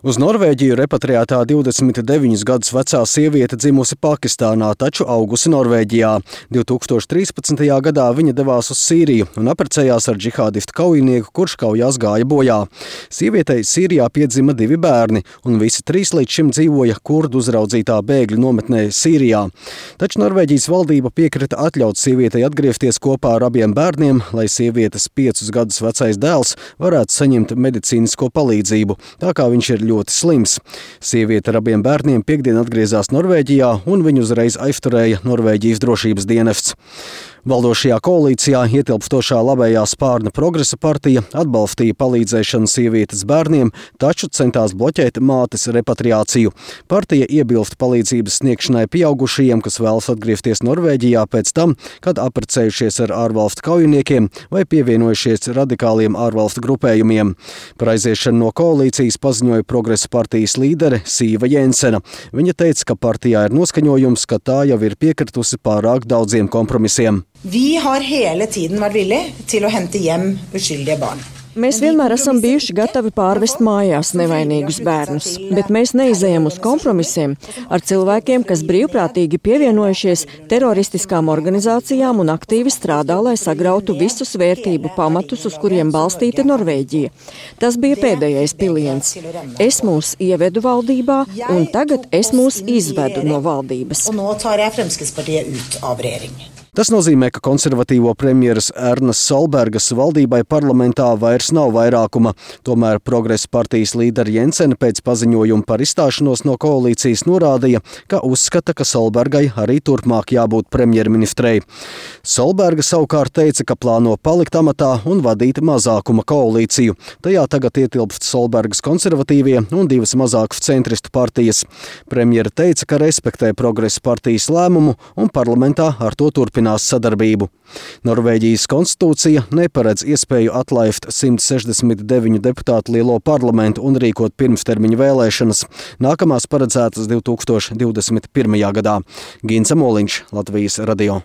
Uz Norvēģiju repatriētā 29 gadus vecā sieviete dzimusi Pakistānā, taču augusi Norvēģijā. 2013. gadā viņa devās uz Sīriju un apprecējās ar džihādistu kaujinieku, kurš kaujās gāja bojā. Sievietei Sīrijā piedzima 2 bērni, un visi 3 līdz šim dzīvoja kurdu uzraudzītā bēgļu nometnē Sīrijā. Taču Norvēģijas valdība piekrita atļaut sievietei atgriezties kopā ar abiem bērniem, lai sievietes 5 gadus vecais dēls varētu saņemt medicīnisko palīdzību, tā kā viņš ir ļoti slims. Sieviete ar abiem bērniem piektdien atgriezās Norvēģijā un viņu uzreiz aizturēja Norvēģijas drošības dienests. Valdošajā koalīcijā ietilpstošā labējā spārna Progresa partija atbalstīja palīdzēšanu sievietes bērniem, taču centās bloķēt mātes repatriāciju. Partija iebilst palīdzības sniegšanai pieaugušajiem, kas vēlas atgriezties Norvēģijā pēc tam, kad apprecējušies ar ārvalstu kaujiniekiem vai pievienojušies radikāliem ārvalstu grupējumiem. Par aiziešanu no koalīcijas paziņoja Progresa partijas līdere Siva Jensena. Viņa teica, ka partijā ir noskaņojums, ka tā jau ir piekritusi pārāk daudziem kompromisiem. Vi har hele tiden vært villige til å hente hjem uskyldige barn. Mēs vienmēr esam bijuši gatavi pārvest mājās nevainīgus bērnus, bet mēs neizejam uz kompromisiem ar cilvēkiem, kas brīvprātīgi pievienojušies teroristiskām organizācijām un aktīvi strādā, lai sagrautu visus vērtību pamatus, uz kuriem balstīta Norvēģija. Tas bija pēdējais piliens. Es mūs ievedu valdībā, un tagad es mūs izvedu no valdības. Og nå tar jeg Fremskrittspartiet ut av regjering. Tas nozīmē, ka konservatīvo premjeras Ernas Solbergas valdībai parlamentā vairs nav vairākuma. Tomēr Progresa partijas līdera Jensena pēc paziņojuma par izstāšanos no koalīcijas norādīja, ka uzskata, ka Solbergai arī turpmāk jābūt premjerministrei. Solberga savukārt teica, ka plāno palikt amatā un vadīt mazākuma koalīciju. Tajā tagad ietilpst Solbergas konservatīvie un 2 mazākas centristu partijas. Premjera teica, ka respektē Progresa partijas lēmumu un parlamentā ar to turpinās sadarbību. Norvēģijas konstitūcija neparedz iespēju atlaist 169 deputātu lielo parlamentu un rīkot pirmstermiņa vēlēšanas. Nākamās paredzētas 2021. gadā. Ginza Moliņš, Latvijas radio.